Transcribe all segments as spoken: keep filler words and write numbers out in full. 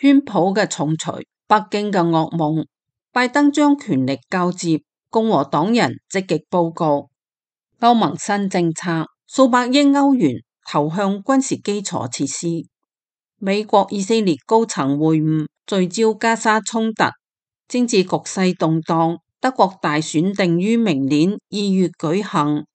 川普嘅重錘，北京嘅噩夢，拜登將權力交接，共和黨人積極報告。歐盟新政策，數百億歐元投向軍事基礎設施。美國以色列高層會晤，聚焦加沙衝突，政治局勢動盪。德國大選定於明年二月舉行。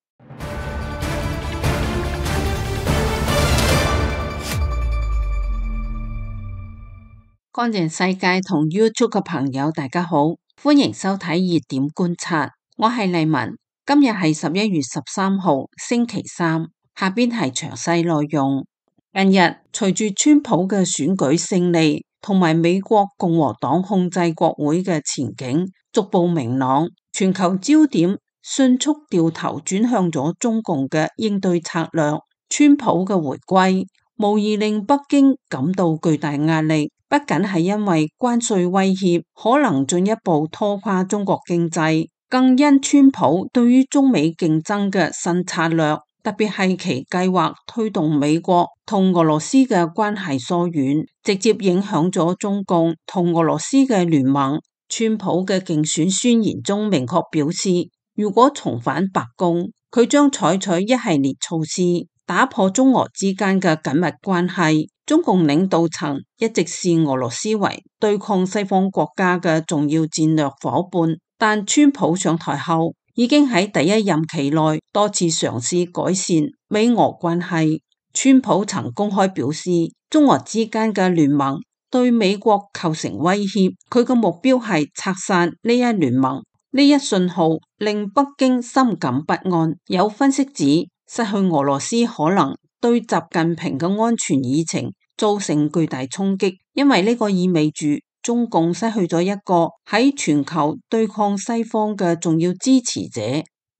乾淨世界同 YouTube 嘅朋友大家好，歡迎收睇熱點觀察，我係麗文。今日係十一月十三號星期三，下邊係詳細內容。近日隨住川普嘅選舉勝利同埋美國共和黨控制國會嘅前景逐步明朗，全球焦點迅速掉頭轉向咗中共嘅應對策略。川普嘅回歸無疑令北京感到巨大壓力，不僅係因為關稅威脅可能進一步拖垮中國經濟，更因川普對於中美競爭嘅新策略，特別係其計劃推動美國同俄羅斯嘅關係疏遠，直接影響咗中共同俄羅斯嘅聯盟。川普嘅競選宣言中明確表示，如果重返白宮，佢將採取一系列措施，打破中俄之間嘅緊密關係。中共領導層一直視俄羅斯為對抗西方國家嘅重要戰略夥伴，但川普上台後已經喺第一任期內多次嘗試改善美俄關係。川普曾公開表示，中俄之間嘅聯盟對美國構成威脅，佢嘅目標係拆散呢一聯盟。呢一信號令北京深感不安。有分析指，失去俄羅斯可能對習近平嘅安全議程造成巨大衝擊，因為呢個意味住中共失去咗一個喺全球對抗西方嘅重要支持者。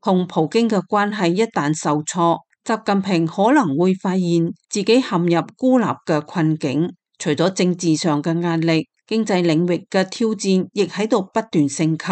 同普京嘅關係一旦受挫，習近平可能會發現自己陷入孤立嘅困境。除咗政治上嘅壓力，經濟領域嘅挑戰亦喺度不斷升級。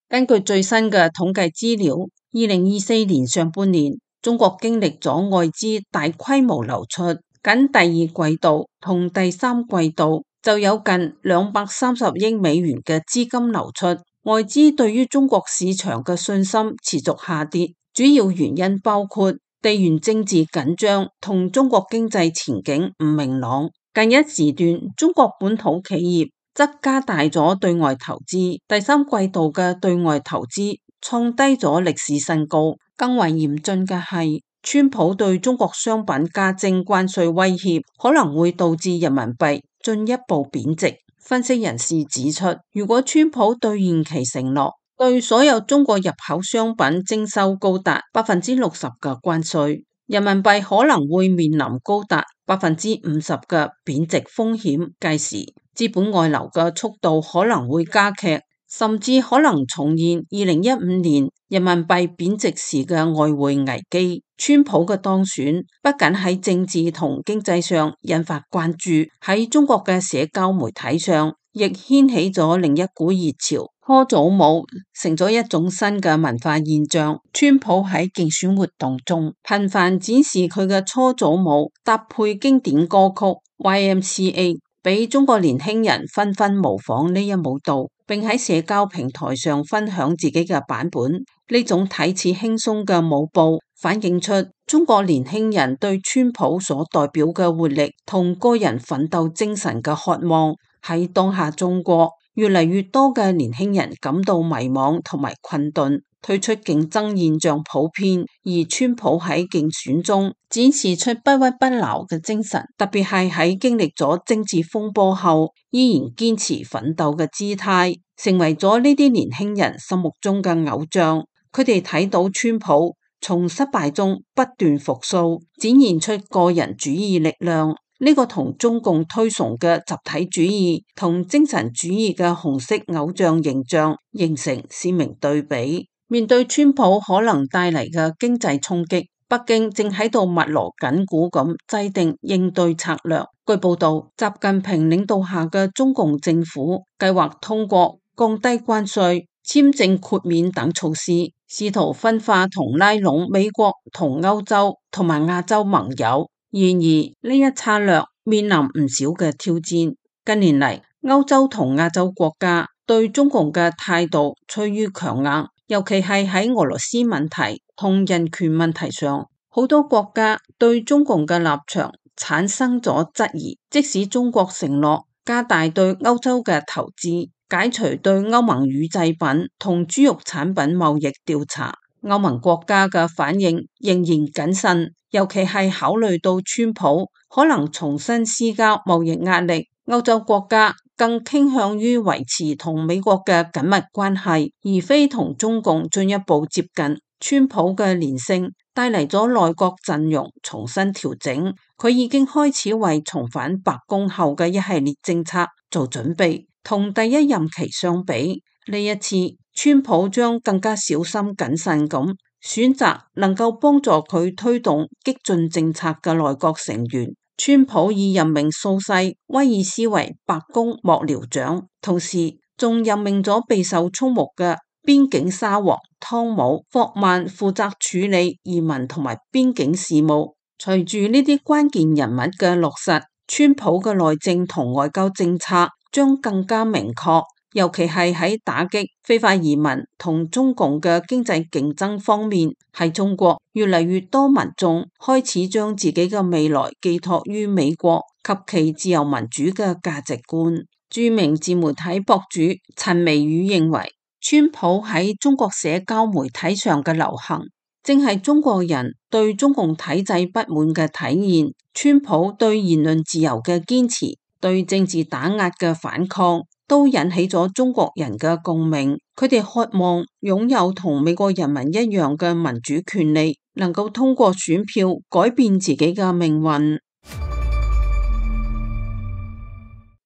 根據最新嘅統計資料，二零二四年上半年，中國經歷咗外資大規模流出，僅第二季度同第三季度就有近兩百三十億美元嘅資金流出。外資對於中國市場嘅信心持續下跌，主要原因包括地緣政治緊張同中國經濟前景唔明朗。近一時段，中國本土企業則加大咗對外投資，第三季度嘅對外投資創低咗歷史新高。更為嚴峻嘅係，川普對中國商品加徵關稅威脅，可能會導致人民幣進一步貶值。分析人士指出，如果川普兌現其承諾，對所有中國入口商品徵收高達百分之六十嘅關稅，人民幣可能會面臨高達百分之五十嘅貶值風險。屆時資本外流嘅速度可能會加劇，甚至可能重現二零一五年人民幣貶值時嘅外匯危機。川普嘅當選不僅喺政治同經濟上引發關注，喺中國嘅社交媒體上亦掀起咗另一股熱潮。搓澡舞成咗一種新嘅文化現象。川普喺競選活動中頻繁展示佢嘅搓澡舞，搭配經典歌曲 Y M C A， 俾中國年輕人紛紛模仿呢一舞蹈，並喺社交平台上分享自己嘅版本。呢種睇似輕鬆嘅舞步，反映出中國年輕人對川普所代表嘅活力同個人奮鬥精神嘅渴望。喺當下中國，越嚟越多嘅年輕人感到迷茫同埋困頓，退出競爭現象普遍，而川普喺競選中展示出不屈不撓嘅精神，特別係喺經歷咗政治風波後，依然堅持奮鬥嘅姿態，成為咗呢啲年輕人心目中嘅偶像。佢哋睇到川普從失敗中不斷復甦，展現出個人主義力量。呢個同中共推崇嘅集體主義同精神主義嘅紅色偶像形象形成鮮明對比。面對川普可能帶嚟嘅經濟衝擊，北京正喺度密鑼緊鼓咁制定應對策略。據報道，習近平領導下嘅中共政府計劃通過降低關稅、簽證豁免等措施，試圖分化同拉攏美國同歐洲同埋亞洲盟友。然而呢一策略面臨唔少嘅挑戰。近年嚟，歐洲同亞洲國家對中共嘅態度趨於強硬，尤其係喺俄羅斯問題同人權問題上，好多國家對中共嘅立場產生咗質疑。即使中國承諾加大對歐洲嘅投資，解除對歐盟乳製品同豬肉產品貿易調查，歐盟國家嘅反應仍然謹慎，尤其係考慮到川普可能重新施加貿易壓力，歐洲國家更傾向於維持同美國嘅緊密關係，而非同中共進一步接近。川普嘅連勝帶嚟咗內閣陣容重新調整，佢已經開始為重返白宮後嘅一系列政策做準備。同第一任期相比，呢一次川普將更加小心謹慎咁選擇能夠幫助佢推動激進政策嘅內閣成員。川普已任命蘇西威爾斯為白宮幕僚長，同時仲任命咗備受矚目嘅邊境沙皇湯姆霍曼負責處理移民同埋邊境事務。隨住呢啲關鍵人物嘅落實，川普嘅內政同外交政策將更加明確，尤其係喺打擊非法移民同中共嘅經濟競爭方面。喺中國，越嚟越多民眾開始將自己嘅未來寄託於美國及其自由民主嘅價值觀。著名自媒體博主陳微宇認為，川普喺中國社交媒體上嘅流行，正係中國人對中共體制不滿嘅體現。川普對言論自由嘅堅持，對政治打壓嘅反抗，都引起咗中國人嘅共鳴。佢哋渴望擁有同美國人民一樣嘅民主權利，能夠通過選票改變自己嘅命運。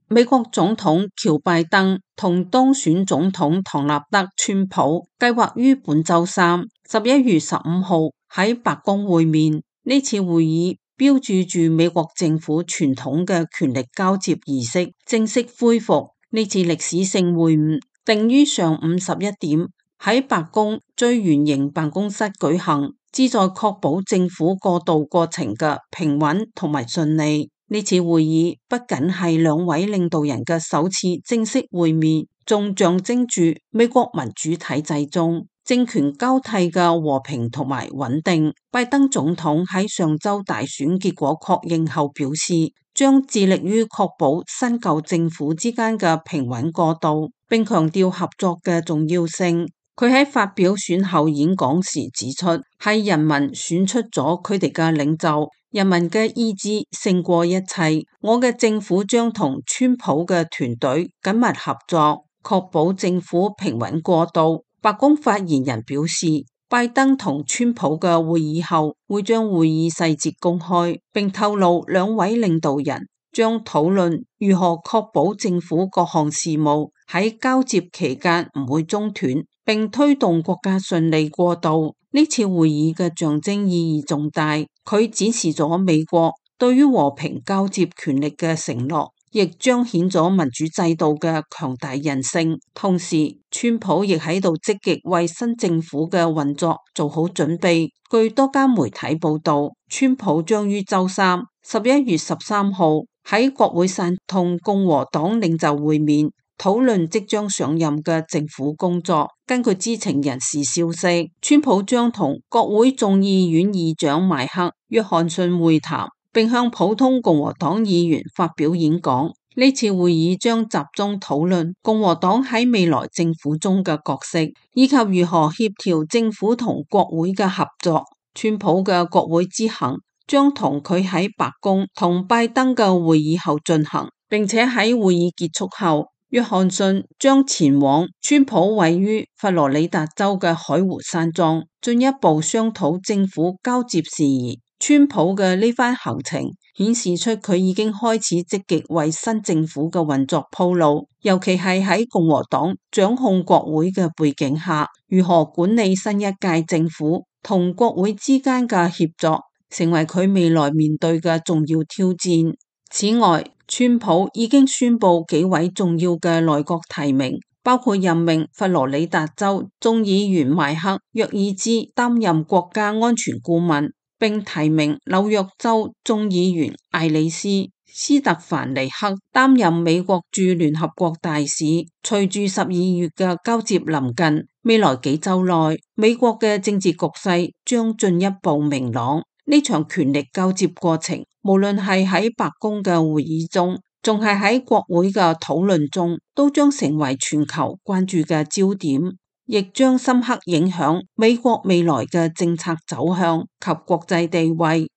美國總統喬拜登同當選總統唐納德川普計劃於本周三十一月十五號喺白宮會面。呢次會議標誌住美國政府傳統嘅權力交接儀式正式恢復。呢次歷史性會晤定於上午十一點喺白宮最圓形辦公室舉行，旨在確保政府過渡過程嘅平穩同埋順利。呢次會議不僅係兩位領導人嘅首次正式會面，仲象徵住美國民主體制中政權交替嘅和平同埋穩定。拜登總統喺上周大選結果確認後表示，將致力於確保新舊政府之間嘅平穩過渡，並強調合作嘅重要性。佢喺發表選後演講時指出，係人民選出咗佢哋嘅領袖，人民嘅意志勝過一切。我嘅政府將同川普嘅團隊緊密合作，確保政府平穩過渡。白宮發言人表示，拜登同川普嘅會議後會將會議細節公開，並透露兩位領導人將討論如何確保政府各項事務喺交接期間唔會中斷，並推動國家順利過渡。呢次會議嘅象徵意義重大，佢展示咗美國對於和平交接權力嘅承諾，亦彰顯咗民主制度嘅強大韌性。同時，川普亦喺度積極為新政府嘅運作做好準備。據多間媒體報道，川普將於周三十一月十三號喺國會山同共和黨領袖會面，討論即將上任嘅政府工作。根據知情人士消息，川普將同國會眾議院議長邁克·約翰遜會談，並向普通共和黨議員發表演講。呢次會議將集中討論共和黨喺未來政府中嘅角色，以及如何協調政府同國會嘅合作。川普嘅國會之行將同佢喺白宮同拜登嘅會議後進行，並且喺會議結束後，約翰遜將前往川普位於佛羅里達州嘅海湖山莊，進一步商討政府交接事宜。川普嘅呢番行程顯示出佢已經開始積極為新政府嘅運作鋪路，尤其係喺共和黨掌控國會嘅背景下，如何管理新一屆政府同國會之間嘅協作，成為佢未來面對嘅重要挑戰。此外，川普已經宣布幾位重要嘅內閣提名，包括任命佛羅里達州眾議員邁克·約爾茲擔任國家安全顧問，並提名紐約州眾議員艾里斯斯特凡尼克擔任美國駐聯合國大使。隨住十二月嘅交接臨近，未來幾週內，美國嘅政治局勢將進一步明朗。呢場權力交接過程，無論係喺白宮嘅會議中，仲係喺國會嘅討論中，都將成為全球關注嘅焦點，亦將深刻影響美國未來嘅政策走向及國際地位。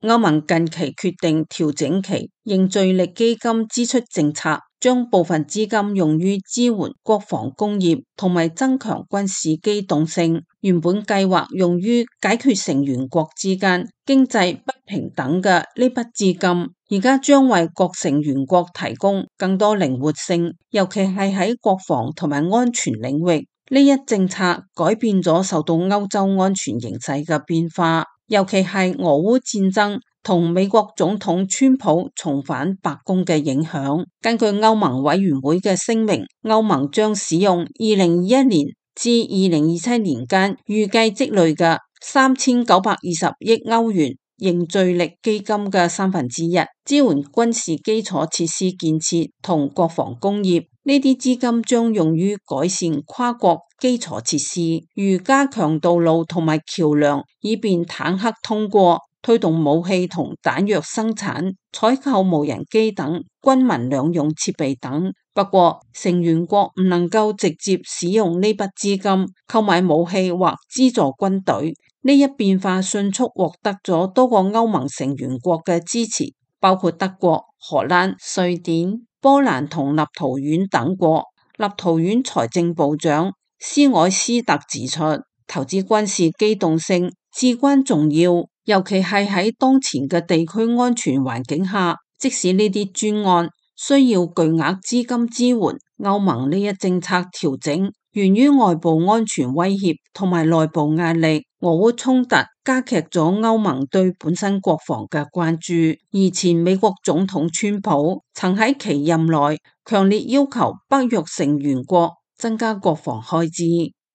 歐盟近期決定調整其凝聚力基金支出政策，將部分資金用於支援國防工業同埋增強軍事機動性。原本計劃用於解決成員國之間經濟不平等嘅呢筆資金，而家將為各成員國提供更多靈活性，尤其係喺國防同埋安全領域。呢一政策改變咗受到歐洲安全形勢嘅變化，尤其係俄烏戰爭同美國總統川普重返白宮嘅影響。根據歐盟委員會嘅聲明，歐盟將使用二零二一年至二零二七年間預計積累嘅三千九百二十億歐元凝聚力基金嘅三分之一，支援軍事基礎設施建設同國防工業。呢啲資金將用於改善跨國基礎設施，如加強道路同埋橋梁，以便坦克通過；推動武器同彈藥生產、採購無人機等軍民兩用設備等。不過，成員國唔能夠直接使用呢筆資金購買武器或資助軍隊。呢一變化迅速獲得咗多個歐盟成員國嘅支持，包括德國、荷蘭、瑞典、波蘭同立陶宛等國。立陶宛財政部長斯凱斯特指出，投資軍事機動性至關重要，尤其係喺當前嘅地區安全環境下。即使呢啲專案需要巨額資金支援，歐盟呢一政策調整源於外部安全威脅同埋內部壓力。俄烏衝突加劇咗歐盟對本身國防嘅關注，而前美國總統川普曾喺其任內強烈要求北約成員國增加國防開支，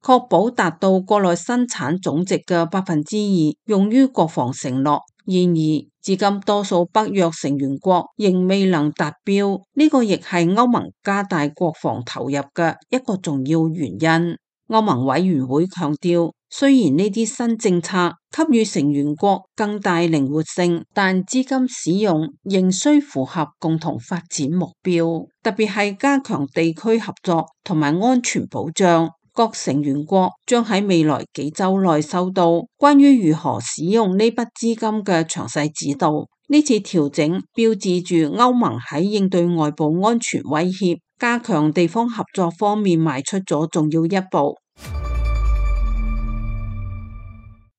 確保達到國內生產總值嘅百分之二用於國防承諾。然而，至今多數北約成員國仍未能達標，呢個亦係歐盟加大國防投入嘅一個重要原因。歐盟委員會強調，雖然呢啲新政策給予成員國更大靈活性，但資金使用仍需符合共同發展目標，特別係加強地區合作同埋安全保障。各成員國將喺未來幾週內收到關於如何使用呢筆資金嘅詳細指導。呢次調整標誌住歐盟喺應對外部安全威脅、加強地方合作方面邁出咗重要一步。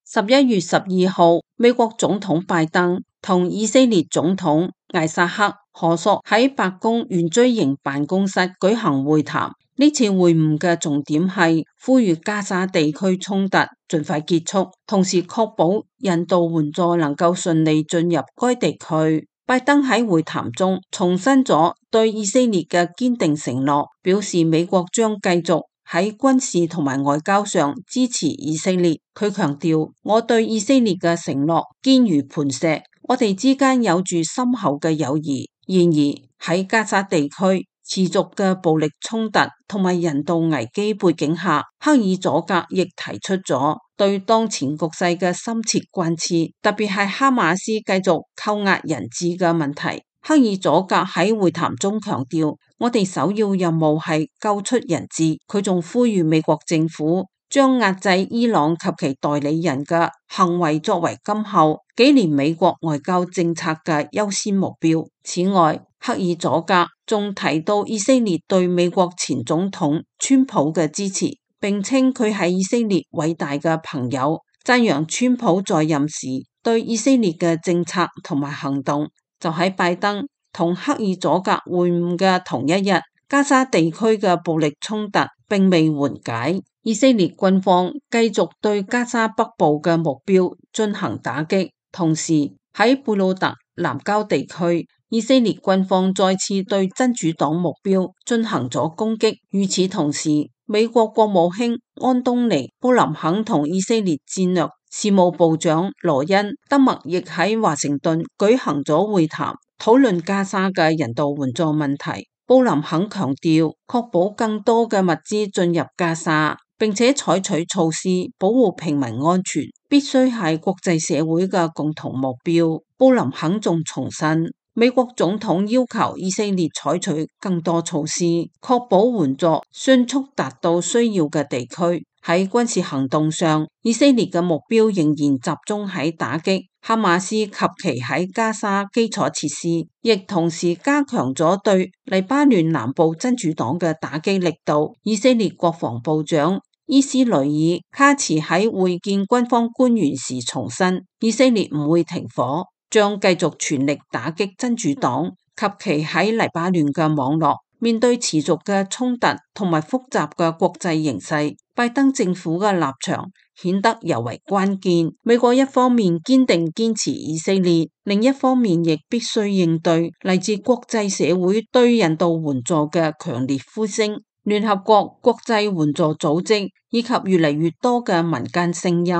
十一月十二號，美國總統拜登同以色列總統艾薩克何索喺白宮圓錐形辦公室舉行會談。呢次會晤嘅重點係呼籲加沙地區衝突盡快結束，同時確保人道援助能夠順利進入該地區。拜登喺會談中重申咗對以色列嘅堅定承諾，表示美國將繼續喺軍事同埋外交上支持以色列。佢強調，我對以色列嘅承諾堅如磐石，我哋之間有住深厚嘅友誼。然而喺加沙地區持續嘅暴力衝突同埋人道危機背景下，克爾佐格亦提出咗對當前局勢嘅深切關切，特別係哈馬斯繼續扣押人質嘅問題。克爾佐格喺會談中強調，我哋首要任務係救出人質。佢仲呼籲美國政府將壓制伊朗及其代理人嘅行為作為今後幾年美國外交政策嘅優先目標。此外，克爾佐格仲提到以色列對美國前總統川普嘅支持，並稱佢係以色列偉大嘅朋友，讚揚川普在任時對以色列嘅政策同埋行動。就喺拜登同克爾佐格會晤嘅同一日，加沙地區嘅暴力衝突並未緩解，以色列軍方繼續對加沙北部嘅目標進行打擊，同時喺貝魯特南郊地區，以色列軍方再次對真主黨目標進行咗攻擊。與此同時，美國國務卿安東尼布林肯同以色列戰略事務部長羅恩·德默亦喺華盛頓舉行咗會談，討論加沙嘅人道援助問題。布林肯強調，確保更多嘅物資進入加沙，並且採取措施保護平民安全，必須係國際社會嘅共同目標。布林肯仲重申，美國總統要求以色列採取更多措施，確保援助迅速達到需要嘅地區。喺軍事行動上，以色列嘅目標仍然集中喺打擊哈馬斯及其喺加沙基礎設施，亦同時加強咗對黎巴嫩南部真主黨嘅打擊力度。以色列國防部長伊斯雷爾卡茨喺會見軍方官員時重申，以色列唔會停火，將繼續全力打擊真主黨及其喺黎巴嫩嘅網絡。面對持續嘅衝突同埋複雜嘅國際形勢，拜登政府嘅立場顯得尤為關鍵。美國一方面堅定堅持以色列，另一方面亦必須應對嚟自國際社會對人道援助嘅強烈呼聲。聯合國、國際援助組織以及越嚟越多嘅民間聲音，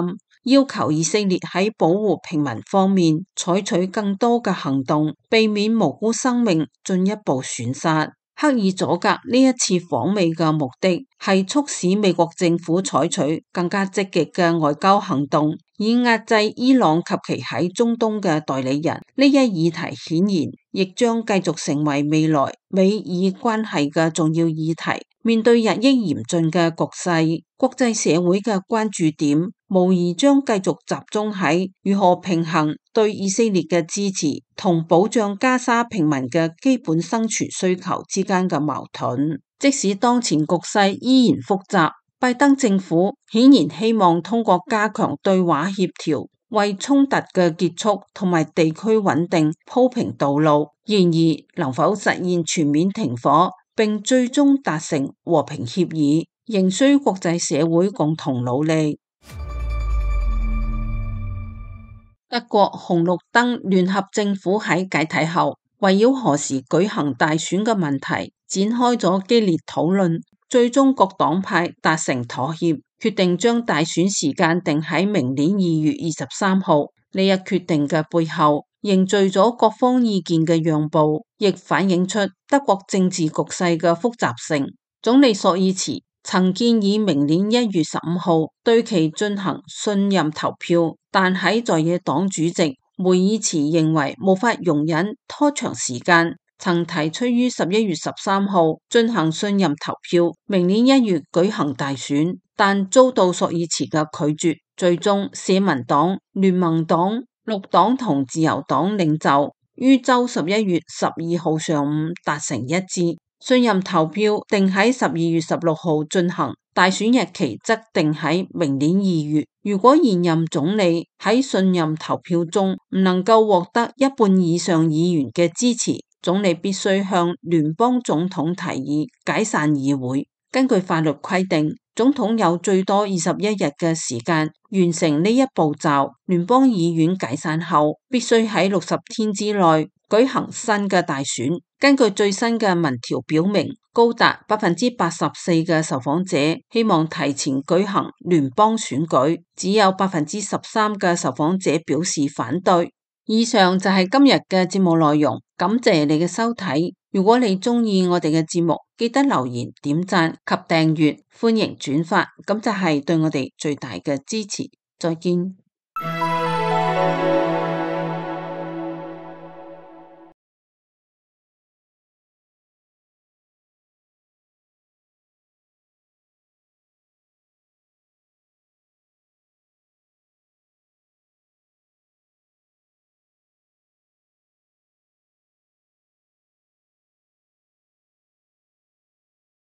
要求以色列喺保護平民方面採取更多嘅行動，避免無辜生命進一步損失。克爾佐格呢一次訪美嘅目的係促使美國政府採取更加積極嘅外交行動，以壓制伊朗及其喺中東嘅代理人。呢一議題顯然亦將繼續成為未來美以關係嘅重要議題。面對日益嚴峻嘅局勢，國際社會嘅關注點無疑將繼續集中喺如何平衡對以色列嘅支持同保障加沙平民嘅基本生存需求之間嘅矛盾。即使當前局勢依然複雜，拜登政府顯然希望通過加強對話協調，為衝突嘅結束同埋地區穩定鋪平道路。然而，能否實現全面停火並最終達成和平協議，仍需國際社會共同努力。德國紅綠燈聯合政府喺解體後，圍繞何時舉行大選嘅問題展開咗激烈討論，最終各黨派達成妥協，決定將大選時間定喺明年二月二十三號。呢一決定嘅背後，凝聚咗各方意見嘅讓步，亦反映出德國政治局勢嘅複雜性。總理朔爾茨曾建議明年一月十五號對其進行信任投票，但喺在野黨主席梅爾茨認為無法容忍拖長時間，曾提出於十一月十三號進行信任投票，明年一月舉行大選，但遭到朔爾茨嘅拒絕。最終，社民黨、聯盟黨、綠黨同自由黨領袖於周十一月十二號上午達成一致，信任投票定喺十二月十六號進行，大選日期則定喺明年二月。如果現任總理喺信任投票中唔能夠獲得一半以上議員嘅支持，總理必須向聯邦總統提議解散議會。根據法律規定，總統有最多二十一日嘅時間完成呢一步驟。聯邦議院解散後，必須喺六十天之內舉行新嘅大選。根據最新嘅民調表明，高達百分之八十四嘅受訪者希望提前舉行聯邦選舉，只有百分之十三嘅受訪者表示反對。以上就係今日嘅節目內容，感謝你嘅收睇。如果你鍾意我哋嘅節目，記得留言、點讚及訂閱，歡迎轉發，咁就係對我哋最大嘅支持。再見。